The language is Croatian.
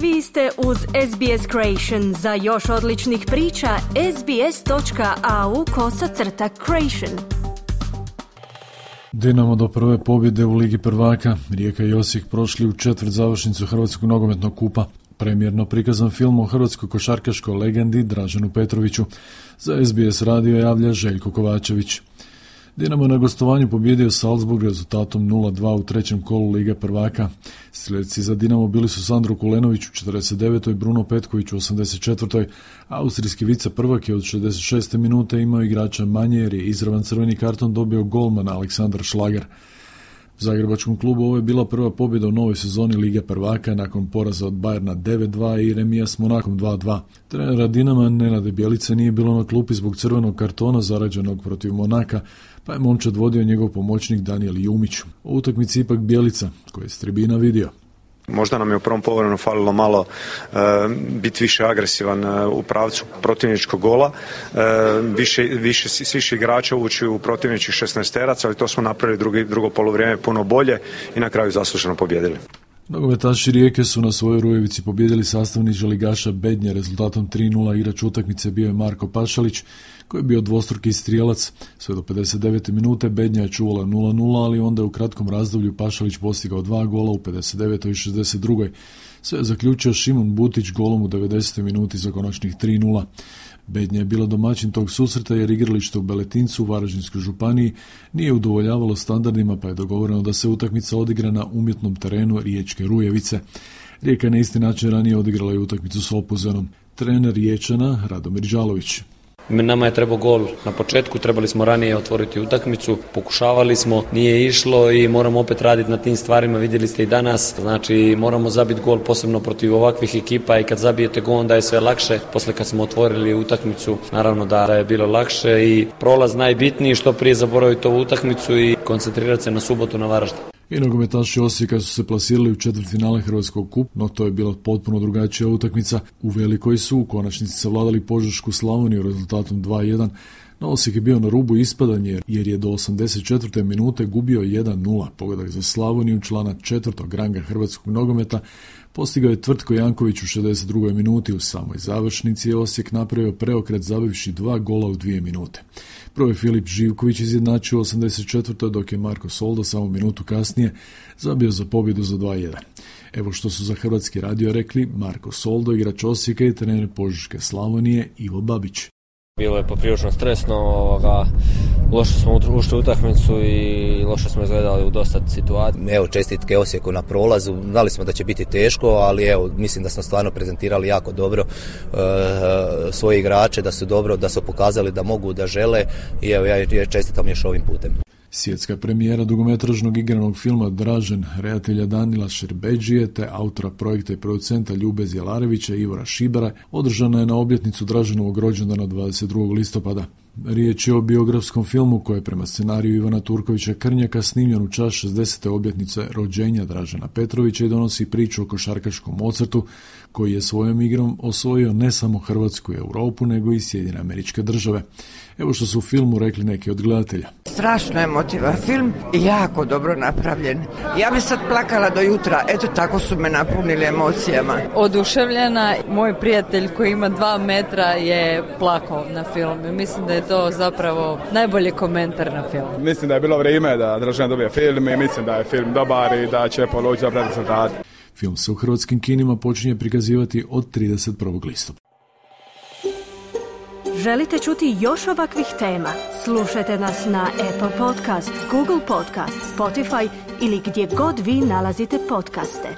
Vi ste uz SBS Creation. Za još odličnih priča, sbs.au/creation. Dinamo do prve pobjede u Ligi prvaka. Rijeka i Osijek prošli u četvrt završnicu Hrvatskog nogometnog kupa. Premijerno prikazan film o hrvatskoj košarkaškoj legendi Draženu Petroviću. Za SBS radio javlja Željko Kovačević. Dinamo na gostovanju pobjedio Salzburg rezultatom 0-2 u trećem kolu Lige prvaka. Strijelci za Dinamo bili su Sandro Kulenović u 49. Bruno Petković u 84. Austrijski viceprvak je od 66. minute imao igrača manje jer je izravan crveni karton dobio golman Aleksandar Šlager. U zagrebačkom klubu ovo je bila prva pobjeda u novoj sezoni Lige prvaka nakon poraza od Bayerna 9-2 i remija s Monakom 2-2. Trenera Dinama Nenada Bjelice nije bilo na klupi zbog crvenog kartona zarađenog protiv Monaka, pa je momčad vodio njegov pomoćnik Danijel Jumić. O utakmici ipak Bjelica, koji je s tribina vidio. Možda nam je u prvom poluvremenu falilo malo biti više agresivan u pravcu protivničkog gola, više igrača ući u protivničkih 16-teraca, ali to smo napravili drugo poluvrijeme puno bolje i na kraju zasluženo pobjedili. Nogometaši Rijeke su na svojoj Rujevici pobjedili sastavniča ligaša Bednje rezultatom 3-0. Igrač utakmice bio je Marko Pašalić, koji je bio dvostruki strijelac. Sve do 59. minute Bednja je čuvala 0-0, ali onda je u kratkom razdoblju Pašalić postigao 2 gola u 59. i 62. Sve je zaključio Šimon Butić golom u 90. minuti za konačnih 3-0. Bednja je bila domaćin tog susreta jer igralište u Beletincu u Varaždinskoj županiji nije udovoljavalo standardima, pa je dogovoreno da se utakmica odigra na umjetnom terenu Riječke Rujevice. Rijeka na isti način ranije odigrala i utakmicu s Opuzenom. Trener Riječana Radomir Đalović. Nama je trebao gol na početku, trebali smo ranije otvoriti utakmicu, pokušavali smo, nije išlo i moramo opet raditi na tim stvarima, vidjeli ste i danas, znači moramo zabiti gol posebno protiv ovakvih ekipa i kad zabijete gol onda je sve lakše, posle kad smo otvorili utakmicu naravno da je bilo lakše i prolaz najbitniji, što prije zaboraviti ovu utakmicu i koncentrirati se na subotu na Varaždin. I nogometaši Osijeka su se plasirali u četvrtfinale Hrvatskog kupa, no to je bila potpuno drugačija utakmica. U Velikoj su u konačnici savladali Požešku Slavoniju rezultatom 2-1, no Osijek je bio na rubu ispadanja jer je do 84. minute gubio 1-0. Pogodak za Slavoniju, člana 4. ranga hrvatskog nogometa, postigao je Tvrtko Janković u 62. minuti. U samoj završnici je Osijek napravio preokret zabivši 2 gola u 2 minute. Prvo je Filip Živković izjednačio u 84. dok je Marko Soldo samo minutu kasnije zabio za pobjedu za 2-1. Evo što su za Hrvatski radio rekli Marko Soldo, igrač Osijeka i trener Požeške Slavonije Ivo Babić. Bilo je poprilično stresno, loše smo ušli u utakmicu i loše smo izgledali u dosta situacija. Evo, čestitke Osijeku na prolazu, znali smo da će biti teško, ali evo, mislim da smo stvarno prezentirali jako dobro svoje igrače, da su pokazali da mogu, da žele i evo, ja čestitam još ovim putem. Svjetska premijera dugometražnog igranog filma Dražen, redatelja Danila Šerbeđije te autora projekta i producenta Ljube Zjelarevića i Ivora Šibara održana je na obljetnicu Draženovog rođendana 22. listopada. Riječ je o biografskom filmu koji je prema scenariju Ivana Turkovića Krnjaka snimljen u čast 60. obljetnice rođenja Dražena Petrovića i donosi priču o košarkaškom Mozartu koji je svojom igrom osvojio ne samo Hrvatsku i Europu nego i Sjedinjene Američke Države. Evo što su u filmu rekli neki od gledatelja. Strašno emotivan film i jako dobro napravljen. Ja bi sad plakala do jutra, eto tako su me napunili emocijama. Oduševljena, moj prijatelj koji ima 2 metra je plakao na filmu. Mislim da je to zapravo najbolji komentar na film. Mislim da je bilo vrijeme da Dražen dobije film i mislim da je film dobar i da će polučiti dobre rezultate. Film se u hrvatskim kinima počinje prikazivati od 31. listopada. Želite čuti još ovakvih tema? Slušajte nas na Apple Podcast, Google Podcast, Spotify ili gdje god vi nalazite podcaste.